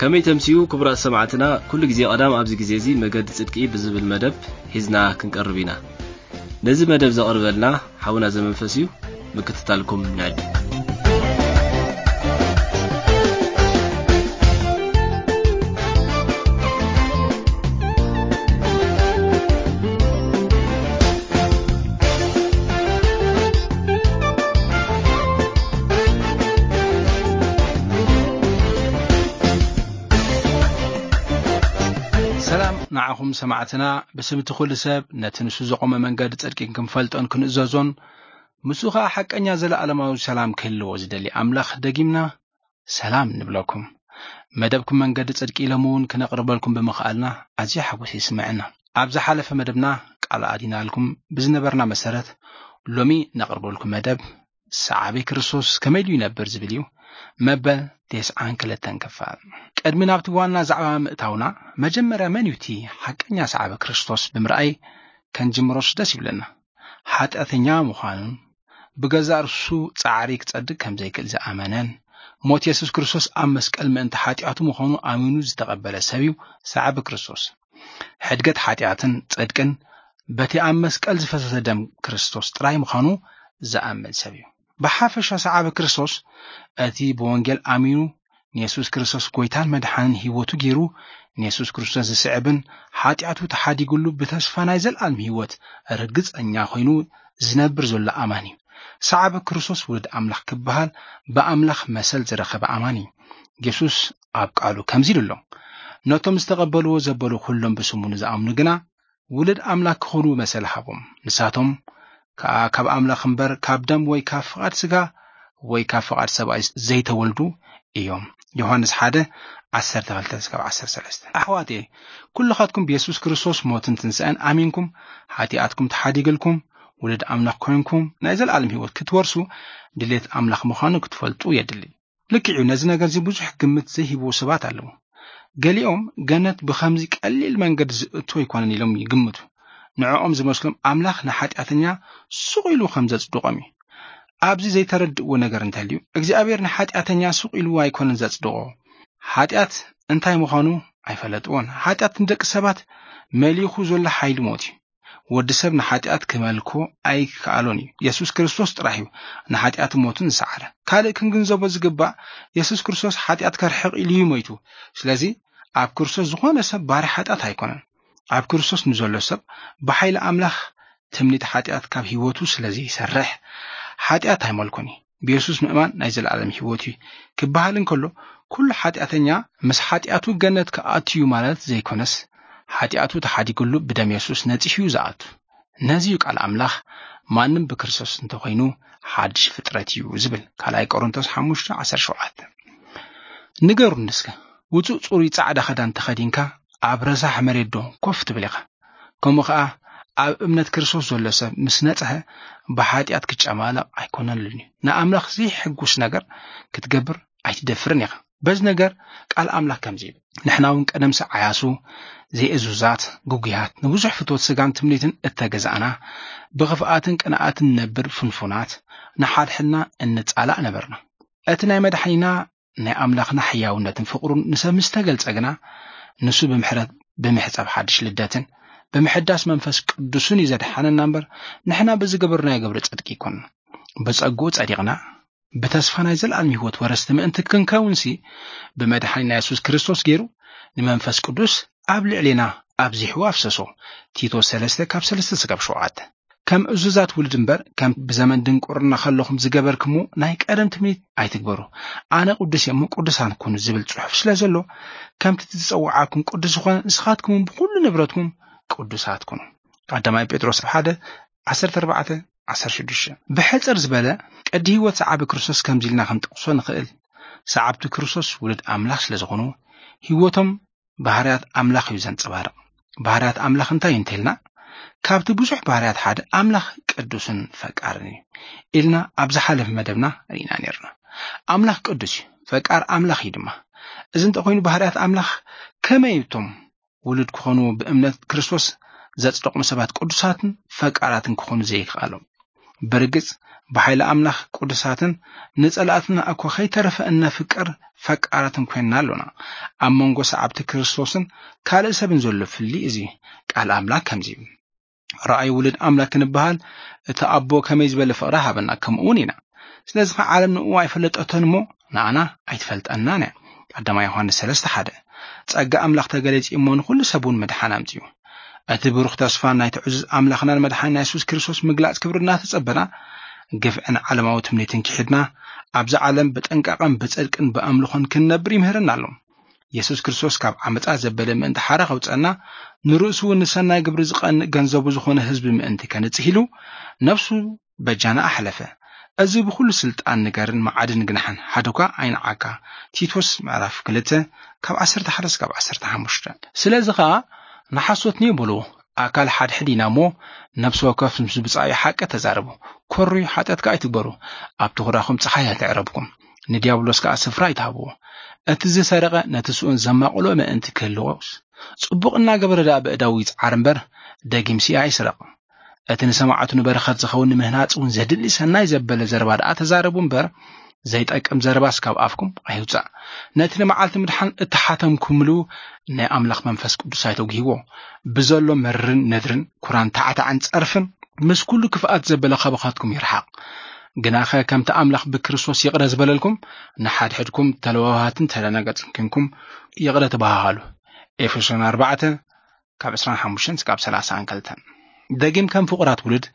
ከመይ ተምስዩ ክቡራት ሰማዕትና፣ ኩሉ ግዜ ቀዳም ኣብዚ ግዜ እዚ መገዲ ጽድቂ ብዝብል መደብ ሒዝና ክንቀርብ ኢና። ነዚ መደብ ዘቕርበልና ሓውና ዘመንፈስ እዩ። ምክትታልኩም ንዕድ። ሰላም ንዓኹም ሰማዕትና፣ ብስም እቲ ኩሉ ሰብ ነቲ ንሱ ዘቖመ መንገዲ ጽድቂ ክንፈልጦን ክንእዘዞን፣ ምስኡ ኸኣ ሓቀኛ ዘለኣለማዊ ሰላም ክህልዎ ዝደሊ ኣምላኽ ደጊምና ሰላም ንብለኩም። መደብኩም መንገዲ ጽድቂ ኢሎም እውን ክነቕርበልኩም ብምኽኣልና ኣዝዩ ሓጎስ ይስምዐና። ኣብ ዝሓለፈ መደብና ቃል ኣዲናልኩም ብዝነበርና መሰረት፣ ሎሚ ነቕርበልኩም መደብ ሰዓቢ ክርስቶስ ከመይ ኢሉ ይነብር ዝብል እዩ። መበል ተስዓን ክልተን ክፋል። ቅድሚ ናብቲ ዋና ዛዕባ ምእታውና፣ መጀመርያ መን እዩ እቲ ሓቀኛ ሰዓቢ ክርስቶስ ብምርኣይ ከንጅምሮስ ደስ ይብለና። ሓጢኣተኛ ምዃኑን ብገዛእ ርእሱ ጻዕሪ ክጸድቅ ከም ዘይክእል ዝኣመነን፣ ሞት የሱስ ክርስቶስ ኣብ መስቀል ምእንቲ ሓጢኣቱ ምዃኑ ኣሚኑ ዝተቐበለ ሰብ እዩ ሰዓቢ ክርስቶስ። ሕድገት ሓጢኣትን ጽድቅን በቲ ኣብ መስቀል ዝፈሰሰ ደም ክርስቶስ ጥራይ ምዃኑ ዝኣምን ሰብ እዩ። ብሓፈሻ ሰዓቢ ክርስቶስ እቲ ብወንጌል ኣሚኑ ንየሱስ ክርስቶስ ጎይታን መድሓንን ህይወቱ ገይሩ ንየሱስ ክርስቶስ ዝስዕብን ሓጢኣቱ ተሓዲጉሉ ብተስፋ ናይ ዘለኣለም ህይወት ርግጸኛ ኮይኑ ዝነብር ዘሎ ኣማኒ እዩ። ሰዓቢ ክርስቶስ ውሉድ ኣምላኽ ክበሃል ብኣምላኽ መሰል ዝረኸበ ኣማኒ እዩ። የሱስ ኣብ ቃሉ ከምዚ ኢሉ ኣሎ፣ "ነቶም ዝተቐበልዎ ዘበሉ ኩሎም ብስሙ ንዝኣምኑ ግና ውሉድ ኣምላኽ ክኾኑ መሰል ሃቦም። ንሳቶም ከኣ ካብ ኣምላኽ እምበር ካብ ደም ወይ ካብ ፍቓድ ስጋ ወይ ካብ ፍቓድ ሰብኣይ ዘይተወልዱ እዮም።" ዮሃንስ ሓደ፣ ዓሰርተ ክልተ እስካብ ዓሰርተ ሰለስተ። ኣሕዋተይ፣ ኩልኻትኩም ብየሱስ ክርስቶስ ሞትን ትንሳኤን ኣሚንኩም፣ ሓጢኣትኩም ተሓዲግልኩም፣ ውሉድ ኣምላኽ ኮይንኩም፣ ናይ ዘለኣለም ህይወት ክትወርሱ ድሌት ኣምላኽ ምዃኑ ክትፈልጡ የድሊ። ልክዕ እዩ፣ ነዚ ነገር እዚ ብዙሕ ግምት ዘይህብዎ ሰባት ኣለዉ። ገሊኦም ገነት ብኸምዚ ቀሊል መንገዲ ዝእቶ ኣይኮነን ኢሎም ይግምቱ። ንዕኦም ዝመስሎም ኣምላኽ ንሓጢኣተኛ ሱቕ ኢሉ ከም ዘጽድቖም እዩ። ኣብዚ ዘይተረድእዎ ነገር እንተልዩ፣ እግዚኣብሔር ንሓጢኣተኛ ሱቕ ኢሉ ኣይኮነን ዘጽድቖ። ሓጢኣት እንታይ ምዃኑ ኣይፈለጥዎን። ሓጢኣት ንደቂ ሰባት መሊኹ ዘሎ ሓይሊ ሞት እዩ። ወዲ ሰብ ንሓጢኣት ክመልኮ ኣይከኣሎን እዩ። የሱስ ክርስቶስ ጥራሕ እዩ ንሓጢኣት ሞትን ዝሰዓረ። ካልእ ክንግንዘቦ ዝግባእ፣ የሱስ ክርስቶስ ሓጢኣት ከርሕቕ ኢሉ እዩ ሞይቱ። ስለዚ ኣብ ክርስቶስ ዝኾነ ሰብ ባርያ ሓጢኣት ኣይኮነን። ኣብ ክርስቶስ ንዘሎ ሰብ ብሓይሊ ኣምላኽ ትምኒት ሓጢኣት ካብ ህይወቱ ስለ ዘይሰርሕ፣ ሓጢኣት ኣይመልኮን እዩ። ብየሱስ ምእማን ናይ ዘለኣለም ህይወት እዩ ክበሃል እንከሎ፣ ኩሉ ሓጢኣተኛ ምስ ሓጢኣቱ ገነት ክኣቱ እዩ ማለት ዘይኮነስ፣ ሓጢኣቱ ተሓዲግሉ ብደም የሱስ ነጺሁ እዩ ዝኣቱ። ነዚ እዩ ቃል ኣምላኽ፣ "ማንም ብክርስቶስ እንተኾይኑ ሓድሽ ፍጥረት እዩ" ዝብል፣ ካልኣይ ቆሮንቶስ ሓሙሽተ ዓሰርተ ሸውዓተ። ንገሩኒ እስከ፣ ውጹእ ጽሩይ ጻዕዳ ክዳን ተኸዲንካ ኣብ ረሳሕ መሬት ዶ ኮፍ ትብል ኢኻ? ከምኡ ኸኣ ኣብ እምነት ክርስቶስ ዘሎ ሰብ ምስ ነጽሀ ብሓጢኣት ክጨማለቕ ኣይኮነሉን እዩ። ንኣምላኽ ዘይሕጉስ ነገር ክትገብር ኣይትደፍርን ኢኻ። በዚ ነገር ቃል ኣምላኽ ከምዚ ይብል፣ "ንሕና እውን ቀደም ሰዓያሱ፣ ዘይእዙዛት፣ ግጉያት፣ ንብዙሕ ፍትወት ስጋን ትምኒትን እተገዛእና፣ ብኽፍኣትን ቅንኣትን ንነብር ፍንፉናት፣ ንሓድሕድና እንጻላእ ነበርና። እቲ ናይ መድሓኒና ናይ ኣምላኽና ሕያውነትን ፍቕሩን ንሰብ ምስ ተገልጸ ግና፣ ንሱ ብምሕረት፣ ብምሕጻብ ሓድሽ ልደትን ብምሕዳስ መንፈስ ቅዱስን እዩ ዘድሓነና እምበር፣ ንሕና ብዝገበርናዮ ግብሪ ጽድቂ ኣይኮንና። ብጸግኡ ጸዲቕና፣ ብተስፋ ናይ ዘለኣለም ህይወት ወረስቲ ምእንቲ ክንከውንሲ፣ ብመድሓኒና የሱስ ክርስቶስ ገይሩ ንመንፈስ ቅዱስ ኣብ ልዕሌና ኣብዚሑ ኣፍሰሶ።" ቲቶ ሰለስተ ካብ ሰለስተ ስጋብ ሸውዓተ። "ከም እዙዛት ውሉድ እምበር፣ ከም ብዘመን ድንቁርና ከለኹም ዝገበርክሞ ናይ ቀደም ትምኒት ኣይትግበሩ። ኣነ ቅዱስ እየ እሞ ቅዱሳን ኩኑ ዝብል ጽሑፍ ስለ ዘሎ፣ ከምቲ ዝጸውዓኩም ቅዱስ ዝኾነ፣ ንስኻትኩም እውን ብኹሉ ንብረትኩም ቅዱሳት ኩኑ።" ቀዳማይ ጴጥሮስ ሓደ፣ ዓሰርተ ኣርባዕተ፣ ዓሰርተ ሽዱሽተ። ብሕጽር ዝበለ፣ ቅዲ ህይወት ሰዓቢ ክርስቶስ ከምዚ ኢልና ክንጠቕሶ ንኽእል። ሰዓብቲ ክርስቶስ ውሉድ ኣምላኽ ስለ ዝኾኑ፣ ህይወቶም ባህርያት ኣምላኽ እዩ ዘንጸባርቕ። ባህርያት ኣምላኽ እንታይ እዩ እንተኢልና፣ ካብቲ ብዙሕ ባህርያት ሓደ ኣምላኽ ቅዱስን ፈቃርን እዩ ኢልና ኣብ ዝሓለፈ መደብና ርኢና ነርና። ኣምላኽ ቅዱስ እዩ፣ ፈቃር ኣምላኽ እዩ ድማ። እዚ እንተኾይኑ፣ ባህርያት ኣምላኽ ከመይ እቶም ውሉድ ክኾኑ ብእምነት ክርስቶስ ዘጽደቑ ሰባት ቅዱሳትን ፈቃራትን ክኾኑ ዘይከኣሎም? ብርግጽ ብሓይሊ ኣምላኽ ቅዱሳትን ንጸላእትና እኮ ከይተረፈ እነፍቅር ፈቃራትን ኮይንና ኣሎና። ኣብ መንጎ ሰዓብቲ ክርስቶስን ካልእ ሰብን ዘሎ ፍሊ እዚ። ቃል ኣምላኽ ከምዚ እዩ። ረኣይ ውሉድ ኣምላኽ ክንበሃል እቲ ኣቦ ከመይ ዝበለ ፍቕሪ ሃበና፣ ከምኡ እውን ኢና። ስለዚ ኸዓ ዓለም ንእኡ ኣይፈለጠቶን እሞ ንኣና ኣይትፈልጠናን እያ። ቀዳማይ ዮሃንስ ሰለስተ ሓደ። ጸጋ ኣምላኽ ተገለጺ እሞ ንኹሉ ሰብ እውን ምድሓን ኣምጺኡ። እቲ ብሩኽ ተስፋ ናይቲ ዕዙዝ ኣምላኽናን መድሓኒና የሱስ ክርስቶስ ምግላጽ ክብሪ እናተጸበና፣ ግፍዕን ዓለማዊ ትምኒትን ክሒድና፣ ኣብዛ ዓለም ብጥንቃቐን ብጽድቅን ብኣምልኾን ክንነብር ይምህረና ኣሎ። የሱስ ክርስቶስ ካብ ዓመጻ ዘበለ ምእንቲ ሓራ ከውጸና፣ ንርእሱ እውን ንሰናይ ግብሪ ዝቐንእ ገንዘቡ ዝኾነ ህዝቢ ምእንቲ ከንጽህ ኢሉ፣ ነፍሱ በጃና ኣሕለፈ። እዚ ብኹሉ ስልጣን ንገርን መዓድን ግናሕን ሓደኳ ኣይንዓካ። ቲቶስ ምዕራፍ ክልተ ካብ ዓሰርተ ሓደ እስካብ ዓሰርተ ሓሙሽተ። ስለዚ ኸኣ ንሓሶት ንየብሉ ኣካል ሓድሕድ ኢና እሞ፣ ነፍሲ ወከፍ ምስ ብጻዩ ሓቂ ተዛረቡ። ኮሩይ ሓጢኣት ከኣ ኣይትግበሩ። ኣብ ትኹራኹም ጸሓይ ኣይተዕረብኩም፣ ንዲያብሎስ ከኣ ስፍራ ኣይትሃብዎ። እቲ ዝሰረቐ ነቲ ስኡን ዘማቕሎ ምእንቲ ክህልዎስ፣ ጽቡቕ እናገበረ ደኣ ብእዳዉ ይጽዓር እምበር፣ ደጊምሲ ኣይስረቕ። እቲ ንሰማዕቱ ንበረኸት ዝኸውን ንምህናጽ እውን ዘድሊ ሰናይ ዘበለ ዘረባ ደኣ ተዛረቡ እምበር፣ ዘይጠቅም ዘረባስ ካብ ኣፍኩም ኣይውጻእ። ነቲ ንመዓልቲ ምድሓን እተሓተምኩምሉ ናይ ኣምላኽ መንፈስ ቅዱስ ኣይተጉህይዎ። ብዘሎ መርርን ነድርን ኩራን ታዕታዕን ጸርፍን ምስ ኩሉ ክፍኣት ዘበለ ካባኻትኩም ይርሓቕ። ግናኸ ከምቲ ኣምላኽ ብክርስቶስ ይቕረ ዝበለልኩም፣ ንሓድሕድኩም ተለዋዋሃትን ተደናገጽን ኪንኩም ይቕረ ተበሃሃሉ። ኤፌሶን ኣርባዕተ ካብ ዕስራን ሓሙሽተን እስካብ ሰላሳን ክልተን። ደጊም ከም ፍቑራት ውሉድ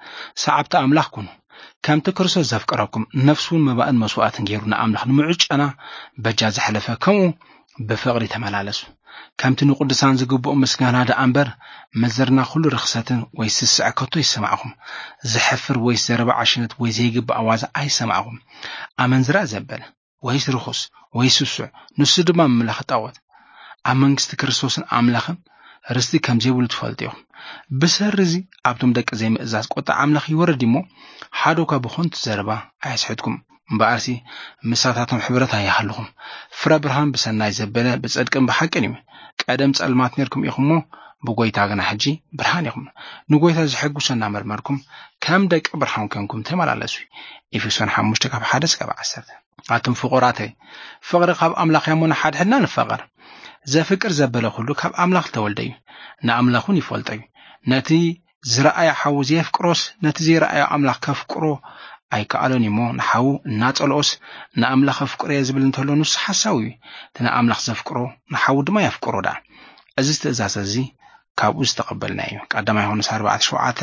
ሰዓብቲ ኣምላኽ ኩኑ። ከምቲ ክርስቶስ ዘፍቀረኩም ነፍሱን መባእን መስዋእትን ገይሩ ንኣምላኽ ንምዑጨና በጃ ዘሕለፈ ከምኡ ብፍቕሪ ተመላለሱ። ከምቲ ንቅዱሳን ዝግብኦ ምስጋና ደኣ እምበር፣ መዘርና ኩሉ ርኽሰትን ወይ ስስዐ ከቶ ይሰማዕኹም። ዘሕፍር ወይ ዘረባ ዓሽነት ወይ ዘይግባእ ዋዛ ኣይሰማዕኹም። ኣመንዝራ ዘበለ ወይስ ርኹስ ወይ ስሱዕ፣ ንሱ ድማ ምምላኽ ጣዖት፣ ኣብ መንግስቲ ክርስቶስን ኣምላኽን ርስቲ ከም ዘይብሉ ትፈልጡ ኢኹም። ብሰሪ እዚ ኣብቶም ደቂ ዘይምእዛዝ ቁጣ ኣምላኽ ይወርድ እሞ፣ ሓደ እኳ ብኾንቱ ዘረባ ኣየስሕትኩም። እምበኣርሲ ምሳታቶም ሕብረት ኣይሃልኹም። ፍረ ብርሃን ብሰናይ ዘበለ ብጽድቅን ብሓቅን እዩ። ቀደም ጸልማት ነርኩም ኢኹም እሞ፣ ብጎይታ ግና ሕጂ ብርሃን ኢኹም። ንጎይታ ዝሕጉሶ እናመርመርኩም፣ ከም ደቂ ብርሃን ኮንኩም ተመላለሱ። ኤፌሶን ሓሙሽተ ካብ ሓደ እስካብ ዓሰርተ። ኣቱም ፍቑራተይ፣ ፍቕሪ ካብ ኣምላኽ እያ እሞ ንሓድሕድና ንፋቐር። ዘፍቅር ዘበለ ኩሉ ካብ ኣምላኽ ዝተወልደ እዩ፣ ንኣምላኽ እውን ይፈልጦ እዩ። ነቲ ዝረኣየ ሓዉ ዘየፍቅሮስ፣ ነቲ ዘይረኣዮ ኣምላኽ ከፍቅሮ ኣይከኣሎን እዩ እሞ፣ ንሓዉ እናጸልኦስ፣ ንኣምላኽ ኣፍቅሮ'የ ዝብል እንተሎ፣ ንሱ ሓሳዊ እዩ። እቲ ንኣምላኽ ዘፍቅሮ፣ ንሓዉ ድማ የፍቅሮ ደኣ። እዚ ትእዛዝ እዚ ካብኡ ዝተቐበልናዮ እዩ። ቀዳማይ ዮሃንስ ኣርባዕተ ሸውዓተ፣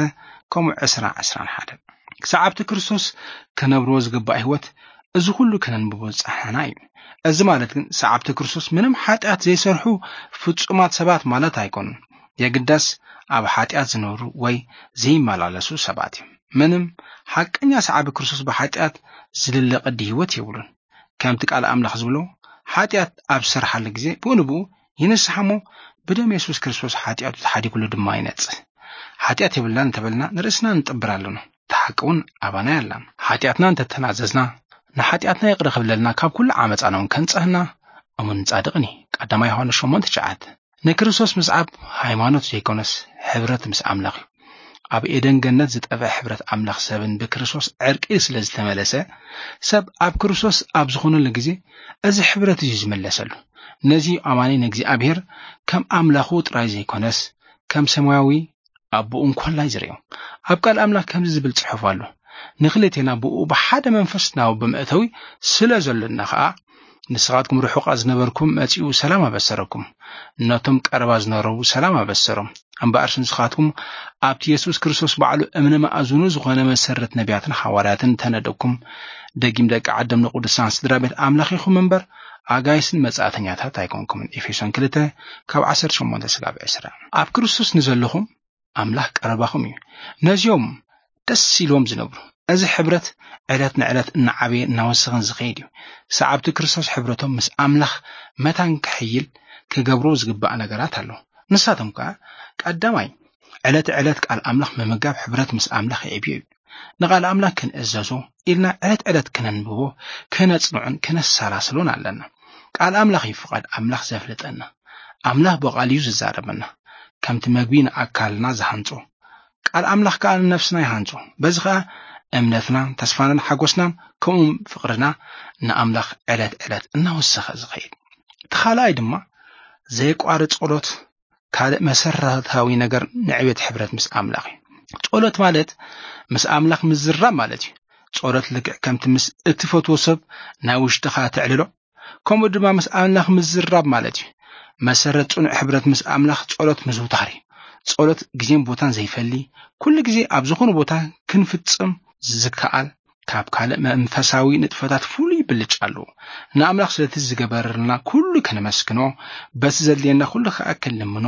ከምኡ ዕስራ፣ ዕስራን ሓደ። ሰዓብቲ ክርስቶስ ክነብርዎ ዝግባእ ህይወት፣ እዚ ኩሉ ከነንብቦ ዝጸሓና እዩ። እዚ ማለት ግን ሰዓብቲ ክርስቶስ ምንም ሓጢኣት ዘይሰርሑ ፍጹማት ሰባት ማለት ኣይኮኑን። የግዳስ ኣብ ሓጢኣት ዝነብሩ ወይ ዘይመላለሱ ሰባት እዮም። ምንም ሓቀኛ ሰዓቢ ክርስቶስ ብሓጢኣት ዝልለ ቅዲ ህይወት የብሉን። ከምቲ ቃል ኣምላኽ ዝብሎ፣ ሓጢኣት ኣብ ዝሰርሓሉ ግዜ ብኡ ንብኡ ይንስሓ እሞ፣ ብደም የሱስ ክርስቶስ ሓጢኣቱ ተሓዲጉሉ ድማ ይነጽህ። ሓጢኣት የብልናን እንተበልና ንርእስና ንጥብር ኣለና፣ እቲ ሓቂ እውን ኣባና የላን። ሓጢኣትና እንተተናዘዝና፣ ንሓጢኣትና ይቕረ ክብለልና፣ ካብ ኩሉ ዓመጻና እውን ከንጽህና እሙንን ጻድቕን እዩ። ቀዳማይ ዮሃንስ ሸሞንተ ትሽዓተ። ንክርስቶስ ምስዓብ ሃይማኖት ዘይኮነስ ሕብረት ምስ ኣምላኽ እዩ። ኣብ ኤደን ገነት ዝጠፍአ ሕብረት ኣምላኽ ሰብን ብክርስቶስ ዕርቂ ስለ ዝተመለሰ፣ ሰብ ኣብ ክርስቶስ ኣብ ዝኾነሉ ግዜ እዚ ሕብረት እዩ ዝምለሰሉ። ነዚ እዩ ኣማኒ ንእግዚኣብሔር ከም ኣምላኹ ጥራይ ዘይኮነስ ከም ሰማያዊ ኣቦኡ እንኮላይ ዝርእዮ። ኣብ ቃል ኣምላኽ ከምዚ ዝብል ጽሑፍ ኣሎ፣ "ንኽልቴና ብኡ ብሓደ መንፈስ ናብ ኣቦ መእተዊ ስለ ዘሎና ኸኣ፣ ንስኻትኩም ርሑቓት ዝነበርኩም መጺኡ ሰላም ኣበሰረኩም፣ ነቶም ቀረባ ዝነረቡ ሰላም ኣበሰሮም። እምበኣርሲ ንስኻትኩም ኣብቲ የሱስ ክርስቶስ ባዕሉ እምነ መኣዝኑ ዝኾነ መሰረት ነቢያትን ሃዋርያትን ተነደኩም፣ ደጊም ደቂ ዓደም ንቅዱሳን ስድራ ቤት ኣምላኽ ኢኹም እምበር፣ ኣጋይስን መጻእተኛታት ኣይኮንኩምን።" ኤፌሶን ክልተ ካብ ዓሰርተ ሸሞንተ ስጋብ ዕስራ። ኣብ ክርስቶስ ንዘለኹም ኣምላኽ ቀረባኹም እዩ። ነዚኦም ደስ ኢልዎም ዝነብሩ። እዚ ሕብረት ዕለት ንዕለት እናዓበየ እናወሰኸን ዝኸይድ እዩ። ሰዓብቲ ክርስቶስ ሕብረቶም ምስ ኣምላኽ መታን ክሕይል ክገብሮ ዝግባእ ነገራት ኣሎ። ንሳቶም ከኣ ቀዳማይ፣ ዕለት ዕለት ቃል ኣምላኽ ምምጋብ ሕብረት ምስ ኣምላኽ የዕብዮ እዩ። ንቃል ኣምላኽ ክንእዘዞ ኢልና ዕለት ዕለት ክነንብቦ፣ ክነጽንዖን ክነሰላስሎን ኣለና። ቃል ኣምላኽ እዩ ፍቓድ ኣምላኽ ዘፍልጠና። ኣምላኽ ብቓል እዩ ዝዛረበና። ከምቲ መግቢ ንኣካልና ዝሃንጾ፣ ቃል ኣምላኽ ከኣ ንነፍስና ይሃንጾ። በዚ ኸኣ እምነትናን ተስፋናን ሓጎስናን ከምኡውን ፍቕርና ንኣምላኽ ዕለት ዕለት እናወሰኸ ዝኸይድ። እቲ ካልኣይ ድማ ዘይቋርጽ ጸሎት ካልእ መሰረታዊ ነገር ንዕቤት ሕብረት ምስ ኣምላኽ እዩ። ጸሎት ማለት ምስ ኣምላኽ ምዝራብ ማለት እዩ። ጸሎት ልክዕ ከምቲ ምስ እትፈትዎ ሰብ ናይ ውሽጥኻ ተዕልሎ፣ ከምኡ ድማ ምስ ኣምላኽ ምዝራብ ማለት እዩ። መሰረት ጽኑዕ ሕብረት ምስ ኣምላኽ ጸሎት ምዝውታር እዩ። ጸሎት ግዜን ቦታን ዘይፈሊ፣ ኩሉ ግዜ ኣብ ዝኾነ ቦታ ክንፍጽም ዝከኣል፣ ካብ ካልእ መንፈሳዊ ንጥፈታት ፍሉይ ብልጫ ኣለዎ። ንኣምላኽ ስለቲ ዝገበረልና ኩሉ ከነመስግኖ፣ በቲ ዘድልየና ኩሉ ከኣ ክንልምኖ፣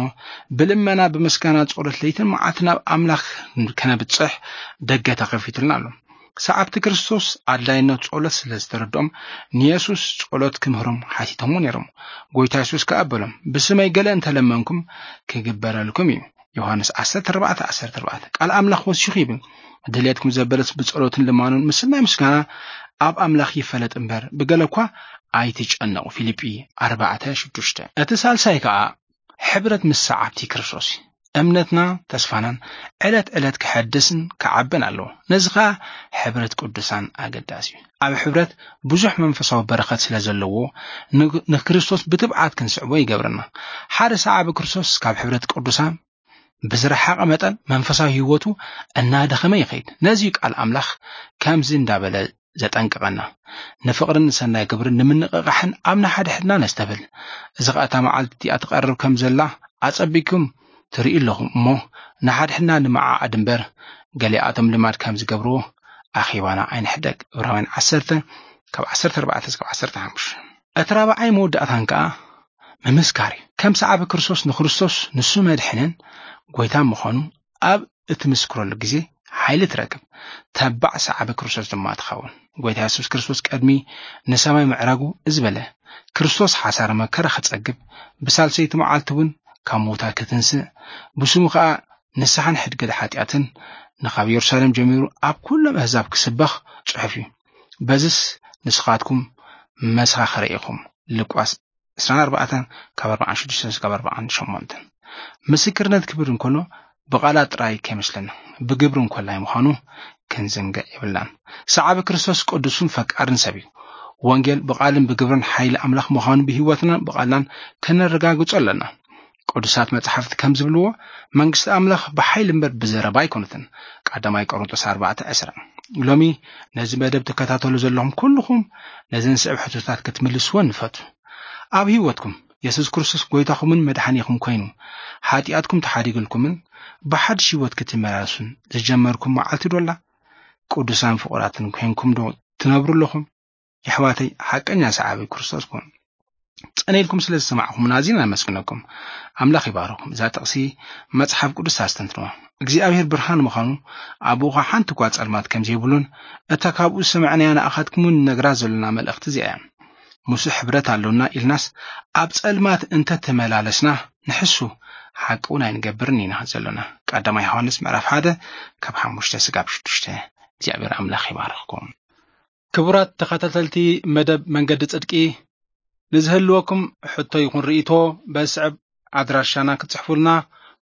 ብልመና ብምስጋና ጸሎት ለይትን መዓልትን ናብ ኣምላኽ ከነብጽሕ ደገ ተኸፊቱልና ኣሎ። ሰዓብቲ ክርስቶስ ኣድላይነት ጸሎት ስለ ዝተረድኦም ንየሱስ ጸሎት ክምህሮም ሓቲቶምዎ ነይሮም። ጎይታ የሱስ ከኣ በሎም፣ "ብስመይ ገለ እንተለመንኩም ክግበረልኩም እዩ።" ዮሃንስ ዓሰርተ ኣርባዕተ ዓሰርተ ኣርባዕተ። ቃል ኣምላኽ ወሲኹ ይብል፣ "ድሌትኩም ዘበለስ ብጸሎትን ልማኑን ምስናይ ምስጋና ኣብ ኣምላኽ ይፈለጥ እምበር ብገለ እኳ ኣይትጨነቑ።" ፊልጲ ኣርባዕተ ሽዱሽተ። እቲ ሳልሳይ ከኣ ሕብረት ምስ ሰዓብቲ ክርስቶስ እዩ። እምነትና ተስፋናን ዕለት ዕለት ክሐድስን ክዓብን ኣለዎ። ነዚ ኸኣ ሕብረት ቅዱሳን ኣገዳሲ እዩ። ኣብ ሕብረት ብዙሕ መንፈሳዊ በረኸት ስለ ዘለዎ ን-፣ ንክርስቶስ ብትብዓት ክንስዕቦ ይገብረና። ሓደ ሰዓቢ ክርስቶስ ካብ ሕብረት ቅዱሳን ብዝረሓቐ መጠን መንፈሳዊ ህይወቱ እናደኸመ ይኸይድ። ነዚ እዩ ቃል ኣምላኽ ከምዚ እንዳበለ ዘጠንቅቐና፣ "ንፍቕርን ንሰናይ ግብርን ንምንቕቓሕን ኣብ ንሓድሕድና ነስተብህል። እዚ ኸኣ እታ መዓልቲ እቲኣ ትቐርብ ከም ዘላ ኣጸቢቅኩም ትርእዩ ኣለኹም እሞ፣ ንሓድሕድና ንምዓዓድ እምበር፣ ገሊኣቶም ልማድ ከም ዝገብርዎ ኣኼባና ኣይንሕደግ።" ዕብራውያን ዓሰርተ ካብ ዓሰርተ ኣርባዕተ እስካብ ዓሰርተ ሓሙሽተ። እቲ ራብዓይ መወዳእታን ከኣ ምምስካር እዩ። ከም ሰዓቢ ክርስቶስ ንክርስቶስ ንሱ መድሕንን ጎይታን ምዃኑ ኣብ እትምስክረሉ ግዜ ሓይሊ ትረክብ። ተባዕ ሰዓቢ ክርስቶስ ድማ ትኸውን። ጎይታ የሱስ ክርስቶስ ቀድሚ ንሰማይ ምዕራጉ እዚ በለ፣ "ክርስቶስ ሓሳረ መከራ ክጸግብ፣ ብሳልሰይቲ መዓልቲ እውን ካብ ምዉታት ክትንስእ፣ ብስሙ ኸኣ ንስሓን ሕድገት ሓጢኣትን ንኻብ የሩሳሌም ጀሚሩ ኣብ ኩሎም ኣህዛብ ክስበኽ ጽሑፍ እዩ። በዝስ ንስኻትኩም መሰኻኽረ ኢኹም።" ሉቃስ ዕስራን ኣርባዕተን ካብ ኣርባዓን ሽዱሽተን እስካብ ኣርባዓን ሸሞንተን። ምስክርነት ክብር እንከሎ ብቓላት ጥራይ ከይመስለና፣ ብግብሪ እንኮላይ ምዃኑ ክንዝንግዕ የብልናን። ሰዓቢ ክርስቶስ ቅዱስን ፈቃርን ሰብ እዩ። ወንጌል ብቓልን ብግብርን ሓይሊ ኣምላኽ ምዃኑ ብህይወትናን ብቓልናን ከነረጋግጾ ኣለና። ቅዱሳት መጻሕፍቲ ከም ዝብልዎ፣ መንግስቲ ኣምላኽ ብሓይሊ እምበር ብዘረባ ኣይኮነትን። ቀዳማይ ቆሮንቶስ ኣርባዕተ ዕስራ። ሎሚ ነዚ መደብ ትከታተሉ ዘለኹም ኩልኹም ነዘን ስዕብ ሕቶታት ክትምልስወን ንፈቱ። ኣብ ህይወትኩም የሱስ ክርስቶስ ጎይታኹምን መድሓኒኹም ኮይኑ፣ ሓጢኣትኩም ተሓዲግልኩምን ብሓድሽ ህይወት ክትመላለሱን ዝጀመርኩም መዓልቲ ዶ ኣላ? ቅዱሳን ፍቑራትን ኮይንኩም ዶ ትነብሩ ኣለኹም? የሕዋተይ፣ ሓቀኛ ሰዓቢ ክርስቶስ ኩኑ። ጸኒልኩም ስለ ዝሰማዕኹምና ኣዚና ነመስግነኩም። ኣምላኽ ይባርኹም። እዛ ጥቕሲ መጽሓፍ ቅዱስ ኣስተንትንዋ። እግዚኣብሔር ብርሃን ምዃኑ፣ ኣብኡ ኸኣ ሓንቲ እኳ ጸልማት ከም ዘይብሉን፣ እታ ካብኡ ዝሰማዕናያ ንኣኻትኩም እውን ንነግራ ዘሎና መልእኽቲ እዚኣ እያ። ምስኡ ሕብረት ኣሎና ኢልናስ ኣብ ጸልማት እንተ ተመላለስና ንሕሱ፣ ሓቂ እውን ኣይንገብርን ኢና ዘሎና። ቀዳማይ ዮሃንስ ምዕራፍ ሓደ ካብ ሓሙሽተ ስጋብ ሽዱሽተ። እግዚኣብሔር ኣምላኽ ይባርኽኩም። ክቡራት ተኸታተልቲ መደብ መንገዲ ጽድቂ፣ ንዝህልወኩም ሕቶ ይኹን ርእይቶ በስዕብ ኣድራሻና ክትጽሕፉልና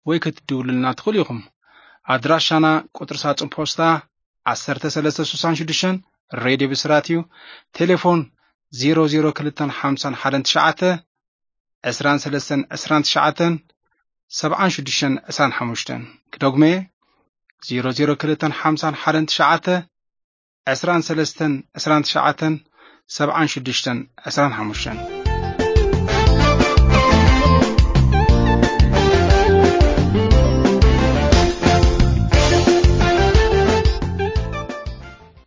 ወይ ክትድውሉልና ትኽእሉ ኢኹም። ኣድራሻና ቁጽሪ ሳጹን ፖስታ ዓሰርተ ሰለስተ ስሳን ሽዱሽተን፣ ሬድዮ ብስራት እዩ። ቴሌፎን ዜሮ ዜሮ ክልተን ሓምሳን ሓደን ትሽዓተ፣ ዕስራን ሰለስተን ዕስራን ትሽዓተን፣ ሰብዓን ሽዱሽተን ዕስራን ሓሙሽተን። ክደግሞ እየ፣ ዜሮ ዜሮ ክልተን ሓምሳን ሓደን ትሽዓተ፣ ዕስራን ሰለስተን ዕስራን ትሽዓተን፣ ሰብዓን ሽዱሽተን ዕስራን ሓሙሽተን።